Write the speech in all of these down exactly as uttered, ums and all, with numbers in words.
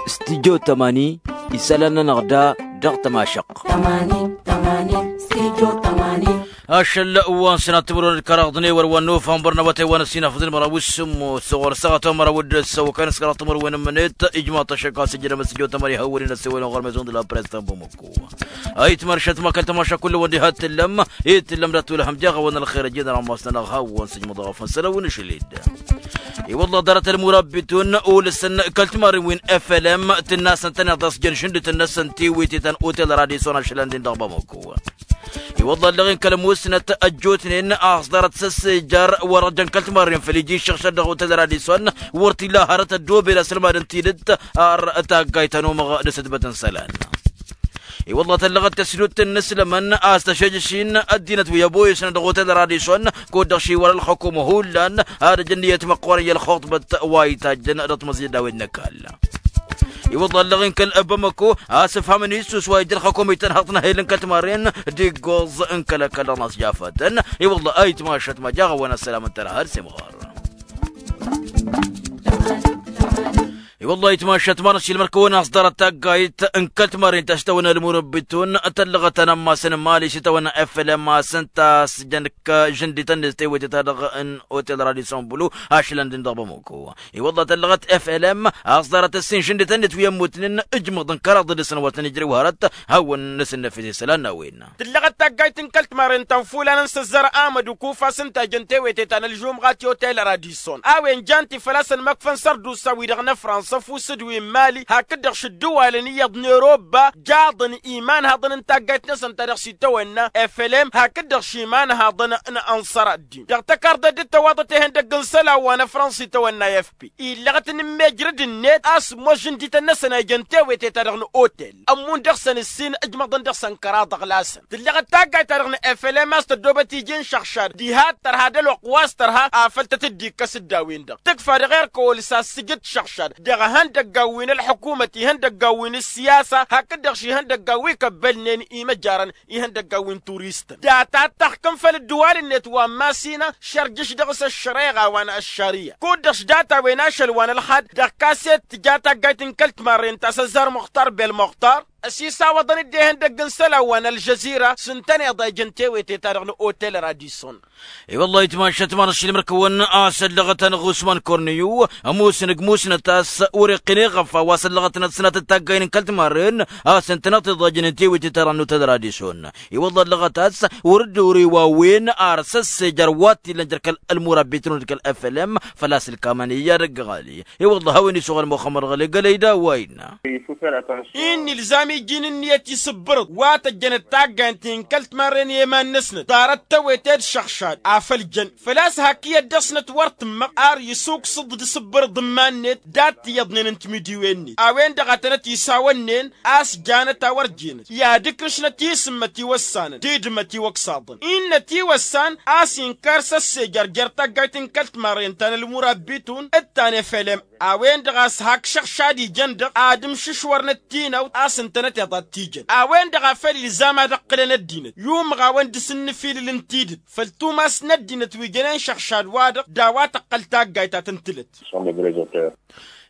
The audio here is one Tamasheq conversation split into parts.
Studio tamani, isălan-nănăɣ da dăɣ-tămašăqq. Ašăl wa n-sănat timǝrwen d-kăraḍ n-ewăr wa n-nofămbăr n-awătay wa n-ăssinafăẓ n-măraw s-sǝmmos s-ɣur-săɣăt wa n-măraw d-ăssăwăkăn s-kăraḍ timǝrwen n-mǝnet. Ijmaḍ-t ăššăk a-s ǝjrăm studio tamani hawăn-in ăssewălăn ɣur-mezon d-la press ta n-bamăko. Ayǝtmăr šăt ma kăl-tămaša kull-wăn diha t-tǝllăm. Itǝllăm dat-wălhăm jaɣ-awăn ălxer ăjjeen ărammas-nănăɣ hawăn-s ijmăḍ ɣăf n-sălăw n-ašăl-dd. I-wălla ḍarăt ălmurabbitun ulǝsăn kăl-timarren wi n-flm tǝnna a-s ǝntăneḍ a-s jăn šǝndǝtăn-năsăn tiwǝyte ta n-otel radison ašăl-ăndin dăɣ-bamăko. I-wălla ăllăɣen kăl-musnăt ăjjootnen a-s ḍarăt s-ăssejăr wăr-jăn kăl-timarren făll-iji iššăɣšăd dăɣ-otel radison. Wăr t-illa hărăt ăddoobel asălmad n-tidǝt ar taggayt ta n-umăɣ d-asǝdbăt n-isălan. I-wălla tăllăɣăt tăsdut n-inǝslămăn a-s tăšejăš-in ăddinăt wi ăboyăsnăn dăɣ-otel radison. Kud-dăɣ šiwăr ălxăkumă hullan ad-ăj ǝnniyăt măqqoorăn i-ălxuṭbăt wa itajjăn dăɣ-timǝẓyăd a-wen n-ăkall. I-wălla ăllăɣen kăl-bamăko a-s ǝfhamăn issus wa ija ălxăkumă itănhăḍ n-ehel n-kăl-timarren d-iggoẓ n-kăl-ăkall dăɣ-năsjafatăn. I-wălla ayǝtmašăt ma jaɣ-awăn ăssălam n-tărha ad-semɣar. I-wălla ayǝtmašăt ma n-ašilmăr-kăwăn a-s ḍarăt taggayt n-kăl-timarren ta s-tawănna ălmurăbbitun tăllăɣăt anămmas n-mali s-itawănna flm a-s ǝnta a-s jăn-k žǝndităn-net tewăte-ta-dăɣ n-otel radison blu ašăl-ăndin dăɣ-bamăko. I-wălla tăllăɣăt flm a-s ḍarăt ǝssin žǝndităn-net wi ămmutnen ǝjmăḍ n-kăraḍ dăr-săn wa tăn-ijrăw hărăt hawăn-năsǝnnăfes isălan n-a-wen. Tǝllăɣăt taggayt n-kăl-timarren ta n-fulan n-săzzar amăd ukufa s-ǝnta a jăn tewete ta n-ălžumɣa ti otel radison a-wen jan-t-i făl-a-s ănmăkfăn sărdusa-wi-dăɣ n-afrănsa ăfuss d-wi n-mali hakd-dăɣ šǝddǝwalăn iyyăḍ n-erobba jaḍăn imanhaḍăn n-taggayt-năsăn ta dăɣ-s itawănna flm hakd-dăɣ šimanhaḍăn n-ănṣăr ăddin dăɣ-tăkarḍăt d-tăwaḍăt ihăndăgg n-isălan wa n-afrănsa itawănna fp. Illăɣăt n-immejrǝd-net a-s ămoos žǝndităn-năsăn a ijăn tewete ta dăɣ-n otel ămmun dăɣ-săn ǝssin ǝjmăḍăn dăɣ-săn kăraḍ ăɣlasăn tǝllăɣăt taggayt-ta-dăɣ n-flm a-s tăddoobăt iji n-išăɣšad diha d-tărha d-ălwăqq wa s-tărha afăl tăt-dd-ikkăs d-a-wen-dăɣ tǝkfa dăɣ-erk ăwăl s-ad-sǝjǝd išăɣšad dăɣ-ihăndăggan wi n-ălḥukumăt ihăndăggan wi n-ǝssiyasa hakd-dăɣ šihăndăggan wi kăbbălnen imăjarăn ihăndăggan wi n-turistăn data d-taxkǝm făll-ǝddǝwal-net wa n-masina šărjǝš dăɣ-s ăššăreɣa wa n-ăššăriya kud-dăɣ s-data-wen ašăl wa n-ălxad dăɣ-kaset tǝja taggayt n-kăl-timarren ta s-ăzzar muxtar bel muxtar ăsisawăḍăn-dd ihăndăgg n-isălan wa n-ălžăzira s-ǝntăneḍ a ijăn tewete-ta-dăɣ n-otel radison. I-wăllah itmašăt ma n-ašilmăr-kăwăn a-s ăllăɣăt-anăɣ usman korniyu ămoosăn ăgg musnăt a-s wăr-iqqǝn eɣăfa wa s-ăllăɣăt n-ad-sănatăt taggayen n-kăl-timarren a-s ǝntăneḍ tiḍajnen tewete-ta-dăɣ n-otel radison. I-wăllah ăllăɣăt a-s wăr-dd-ori wa wen ar s-ăssejăr wa t-illăn jer-kăl ălmurabitun d-kăl-flm făl-a-s ǝlkamăn i-ad-ăgg ɣali. I-wăllah a-wen isuɣăl muxămmăd ɣăli gălăy d-a-wa innă. Innă ilzam iji n-ǝnniyăt isǝbbărǝḍ wa tăjjănăt taggayăn-ti n-kăl-timarren i-iman-năsnăt ḍarăt tewete d-išăɣšad afăl jăn făl-a-s hak iyyăt dăɣ-snăt wăr tǝmmăɣ ar isǝwkǝsăḍ d-isǝbbărǝḍ n-iman-net dat-tiyyăḍnen n-timǝdiwen-net a-wen-dăɣ a tănăt-isawănnen a-s janăt a wăr jenăt i-ad-ǝkrǝšnăt isǝmmăt iwăssanăn tidǝmăt iwăksaḍăn innă tiwăssan a-s inkar s-ăssejăr jer-taggayt n-kăl-timarren ta n-ălmurabbitun d-ta n-efelem a-wen-dăɣ a-s hak šăɣšad ijăn-dăɣ ad-ǝmšǝšwărnăt tinăwt a-s ǝntănăteḍ ad-t-ijăn a-wen-dăɣ a făl ilzam ad-ǝqqǝlăn ăddinăt i-umɣawăn dăr-s ǝnnǝfilǝl n-tidǝt făll-tumas n-ăddinăt wi jănen šăɣšad-wa-dăɣ d-a-wa tăqqăl taggayt a tăn-tǝlăt.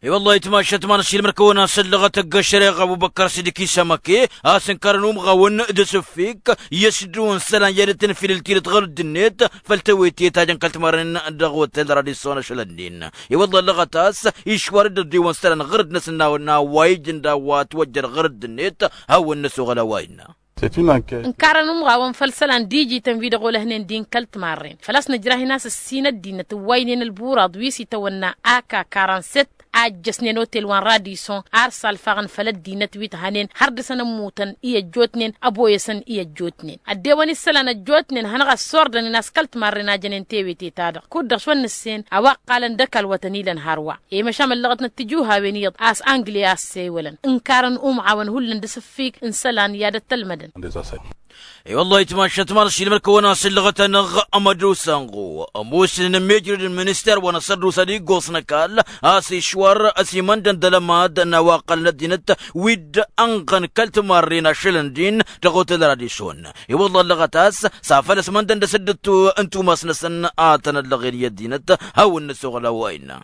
I-wăllah itmašăt ma n-ašilmăr-kăwăn a-s ăllăɣăt ăgg-ăššăreɣa ăbubăkkăr s-dd-ikisămăke a-s ǝnkărăn umɣawăn d-asǝffik i-ăšdǝwăn isălan i-ad-dd-tǝnfilǝl tidǝt ɣur-ăddinăt făll-tewete ta jăn kăl-timarren dăɣ-otel radison ašăl-ănnin. I-wăllah ăllăɣăt a-s išwar-dd ăddiwăn isălan ɣur-dd-năsăn n-a-wa ijǝn d-a-wa ătwăjjăr ɣur-ăddinăt hawăn-năsoɣăl a-wa innă. Ǝnkarăn umɣawăn făll-isălan d-ijităn wi dăɣ-olăhnen din kăl-timarren făl-a-s nǝjrah-in a-s ǝssin ăddinăt ǝwwaynen ălburaḍ wi s-itawănna aka karan-set a ǝjjăsnen otel wa n-radison ar salfaɣăn făll-ăddinăt wi t-hănen har dăr-săn ămmutăn i-ăjjootnen ăboyăsăn i-ăjjootnen ăddewăn isălan ăjjootnen hanăɣ-ăssordănen a-s kăl-timarren a jănen tewete-ta-dăɣ kud-dăɣ šwănnăssen a-wa ǝqqalăn d-ăkall wa tăn-ilăn hărwa. I-măšan ăllăɣăt n-ăttijǝwhawen iyyăḍ a-s angle a ăssewălăn ǝnkarăn umɣawăn hullan d-asǝffig n-isălan i-ad-ăttălmădăn. I-wăllah itmašăt ma n-ašilmăr-kăwăn a-s ǝllăɣăt-anăɣ ămădusanɣu ămoosnen ămmijrăd n-minister wa n-asărdusa d-iggoẓ n-ăkall a-s išwa Ăsimăndăn d-alămad n-a-wa ǝqqălăn ăddinăt wi dd-ănɣăn kăl-timarren ašălăn din dăɣ-otel radison. I-wălla ăllăɣăt a-s s-afăl ăsmăndăn d-asǝddǝt n-tumas-năsăn a tăn-ăllăɣen i-ăddinăt. Hawăn-năsoɣăl a-wa innă.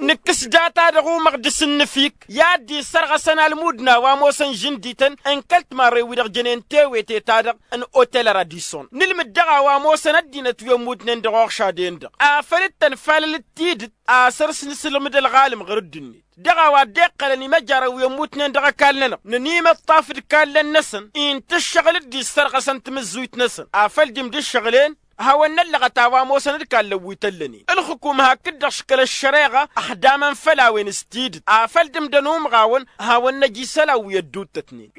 Nǝkkǝs data-dăɣ umăɣ d-asǝnnǝfik i-ad-dd-issărɣăsăn almud n-a-wa ămoosăn žǝndităn n-kăl-timarren-wi-dăɣ jănen tewete-ta-dăɣ n-otel radison. Nǝlmǝd dăɣ-a-wa ămoosăn ăddinăt wi ămmutnen dăɣ-oɣšaden-dăɣ afăl dd-tănfalăl d-tidǝt. Asăr s-nǝsǝlmǝd ălɣalăm ɣur-dd-net dăɣ-a-wa dd-iqqălăn imăjarăn wi ămmutnen dăɣ-ăkall-nănăɣ nănimăṭṭaf d-kallăn-năsăn. Inta ǝššăɣǝl dd-issărɣăsăn tamǝzzuyt-năsăn afăl dd-imdǝššăɣǝlen. Hawăn-năllăɣăt a-wa ămoosăn d-kallăn wi tăllănen ǝlxǝkum hakd-dăɣ škăl ăššăreɣa. Ăxdamăn făll-a-wen s-tidǝt afăl dd-imdăn umɣawăn. Hawăn-năj isălan wi ădduuttătnen.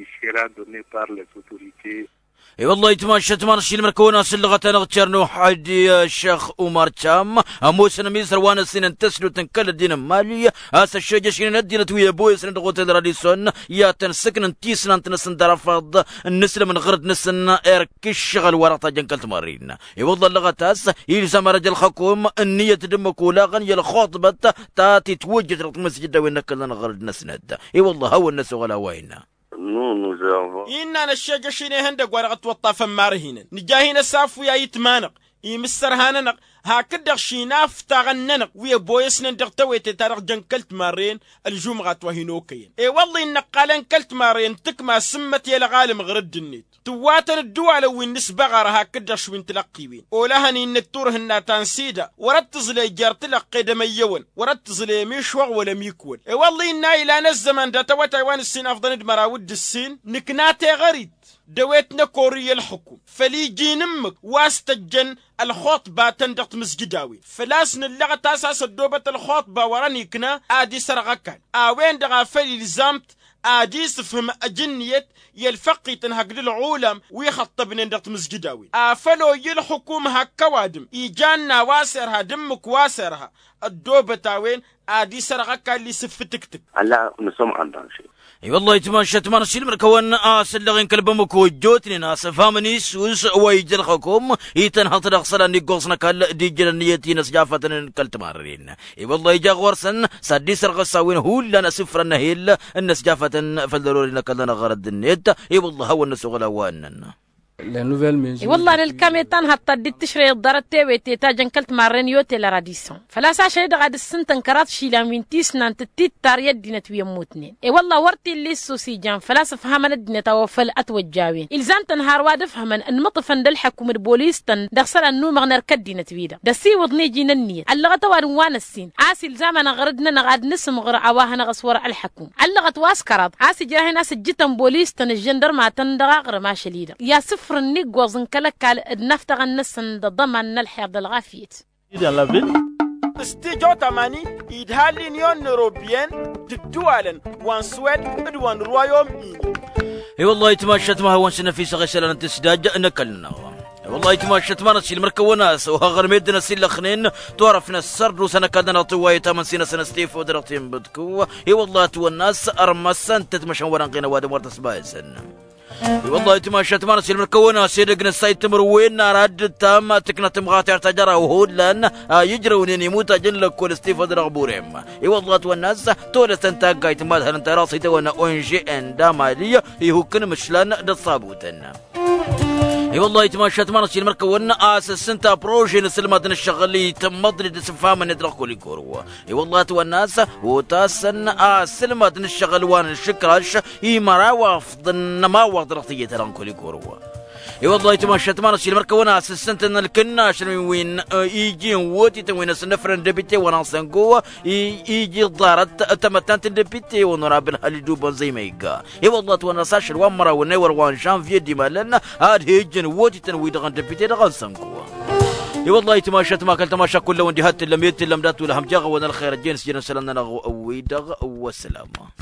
I-wălla-hi timašat ma n-ašilmăr kăwăn-asǝllăɣăt-anăɣ cernuh adi ăššăɣ umar cam ămoosăn ămizăr wa n-ăssinăn tăsdut n-kăl-ăddin n-mali. A-s ăššejăšnen ăddinăt wi ăboyăsnen dăɣ-otel radison i-ad-tăn-sǝknăn tisnant-năsăn d-arăfaḍ n-inǝslămăn ɣur-dd-năsăn. Erk ǝššăɣǝl wa dăɣ-tajăn kăl-timarrin. I-wălla ăllăɣăt a-s ilzam arăj ălxăkum ǝnniyăt d-ǝmmǝk olaɣăn i-ălxuṭbăt ta titwǝjjăt dăɣ-timǝsjǝd a-wen n-ăkkălăn ɣur-dd-năsnăt. I-wălla hawăn-năsoɣăl a-wa innă. Innă n-ăššejăš-in ihăndăgg wa dăɣ-ătwăṭṭafăn marhinăn nǝja hin-ăsafu i-ayǝtma-năɣ imǝssărha-nănăɣ hakd-dăɣ šinaftaɣăn-nănăɣ wi ăboyăsnen dăɣ-tewete-ta-dăɣ jăn kăl-timarren. Ălžumɣat wa hin-okăyăn i-wălla innă ăqqalăn kăl-timarren tǝkma s-ǝmmăt i-ălɣalăm ɣur-dd-net tǝwwatăn ǝddǝwalăn wi n-nǝsbăɣar hakd-dăɣ šwi n-tilăqqiwen olăhăn innă d-turhǝnna ta n-sida wăr-ăttǝẓlăy jer-tilăqqe d-emăyyăwăn wăr-ăttǝẓlăy ămišwăɣ wăla ămikwăl. I-wălla innă ilan ăzzăman dat-awătay wa n-ǝssin afḍăn d-măraw d-ǝssin nǝkna teɣărit d-ewet n-ăkori i-ălxǝkum făl iji n-ǝmmǝk wa s-tăjjăn ălxuṭba-tăn dăɣ-timǝzjǝd-a-wen făl-a-s nǝllăɣăt a-s a-s ăddoobăt ălxuṭba wăr-ănikna ad-isărɣ ăkall a-wen-dăɣ a făl ilzam-t ad-isǝfhǝm ăj ǝnniyăt i-ălfăqqităn hakd ǝlɣulam wi ixăṭṭăbnen dăɣ-timǝzjǝd-a-wen afăl oyyi ǝlxǝkum hak ăwadǝm ijan n-a-wa s-irha d-ǝmmǝk wa s-irha ăddoobăt a-wen ad-isărɣ ăkall isǝffǝtǝktǝk. Alla nǝsăm andanše. I-wălla-hi timašat ma n-ašilmăr kăwăn-asǝllăɣen kăl-bamăko ăjjootnen a-s ǝfhamăn isus wa ija ălxăkom itănhăḍ-t dăɣ-isălan n-iggoẓ n-ăkall d-ijjăl ănniyăt-i n-ăsjafatăn n-kăl-timarren. I-wălla-hi ija ɣur-săn s-ad-dd-isărɣăs a-wen hullan asǝfrăn n-ehel n-ăsjafatăn făll-ărori n-ăkall-nănăɣ ɣărăd-net. I-wălla-hi hawăn-năsoɣăl a-wa ǝnnăn. I-wălla-hi ălkam i-tanhăḍt ta dd-tǝšrăy ăḍḍarăt tewete ta jăn kăl-timarren i-otel radison făl-a-s ašăl-i-dăɣ ad-ǝssǝntăn kăraḍ išilan wi n-tisnant d-tittar i-ăddinăt wi ămmutnen. I-wălla-hi wăr t-illa issus ijan făl-a-s ǝfhamăn ăddinăt a-wa făl ătwăjja a-wen ilzam-tăn har wa d-ǝfhămăn ǝnmǝṭṭǝfăn d-ălḥăkum d-bolis-tăn dăɣ-isălan n-umăɣ n-erk ăddinăt-wi-dăɣ d-ăsiwǝḍ n-iji n-ănniyăt ăllăɣăt ăwadǝm wa n-ăssin a-s ilzam-anăɣ ɣărăd-nănăɣ ad-nǝsǝmɣǝr a-wa hanăɣ-ăswăr ălḥăkum. Ăllăɣăt wa s-kăraḍ a-s ǝjrah-in a-s ǝjjǝtăn bolis-tăn ǝžžăndărma-tăn dăɣ-aɣrǝm ašăl-i-dăɣ i-asǝfrǝn n-iggoẓ n-kăl-ăkall d-inaftăɣăn-năsăn d-aḍăman n-ălxer d-ălɣafyăt. S-tijo tamani idha l-inyon n-europiyăn d-ǝddǝwalăn wa n-suwed d-wa n-rwayom-ini. I-wăllah itmašat ma hawăn-s năfisăɣ isălan n-tǝsdaj n-ăkall-nănăɣ. I-wăllah itmašat ma n-ăsilmăr kăwăn-as oha ɣăr meddǝn ăsillăxnen turăf n-ăssărdusa n-ăkall-nănăɣ tǝwwayăt amǝnsi-năsăn s-tifăw dăr-ăṭṭin bǝdkǝw. I-wăllah ătwănna a-s ărmăsăn-tăt măšan wăr-ănɣen ăwadǝm wăr tăsbayăsăn. I-wăllah itmašat ma n-ăsilmăr kăwăn-as edăgg n-ăssay timǝrwen n-ara dd-tam tǝknăt tǝmɣatert ajăraw hullan a ijrăwnen imutaj n-lăkkol s-tifăḍ dăɣ-burem. I-wăllah ătwănna a-s tolăsăn taggayt n-imadhăn n-taraṣit a-wen n-ongn d-amali ihuk n-imǝšlan d-ăṣṣabutăn. I-wăllah itmašat ma n-ăsilmăr kăwăn-as ǝssǝnta prože n-asǝlmad n-ǝššăɣǝl itămmăḍ-dd s-ǝfhamăn-net dăɣ-kăl-igorǝw. I-wăllah ătwănna a-s otasăn asǝlmad n-ǝššăɣǝl wa n-išǝkraš i-măraw afḍăn n-ămawaḍ dăɣ-tǝjjăt-ta-dăɣ n-kăl-igorǝw. I-wăllah itmašat ma n-ăsilmăr kăwăn-as ǝssǝntăn ălkǝnnašăn wi n-iji n-wotităn wi n-asǝnnăfrăn depite wa n-asăngo iji ḍarăt tamăttant n-depite onorabǝl halidu bănzăy ma igga. I-wăllah ătwănna-s ašăl wa n-măraw n-ewăr wa n-žănvye d-imalăn ad-he-ǝjjǝn wotităn-wi-dăɣ n-depite dăɣ-asăngo. I-wăllah itmašat ma kăl-tamaša kull-awăn diha t-tǝllăm i-tǝllăm dat-wăla hăm jaɣ-awăn ălxer ăjjeen s-jănăn isălan-nănăɣ wi-dăɣ. Wăssalama.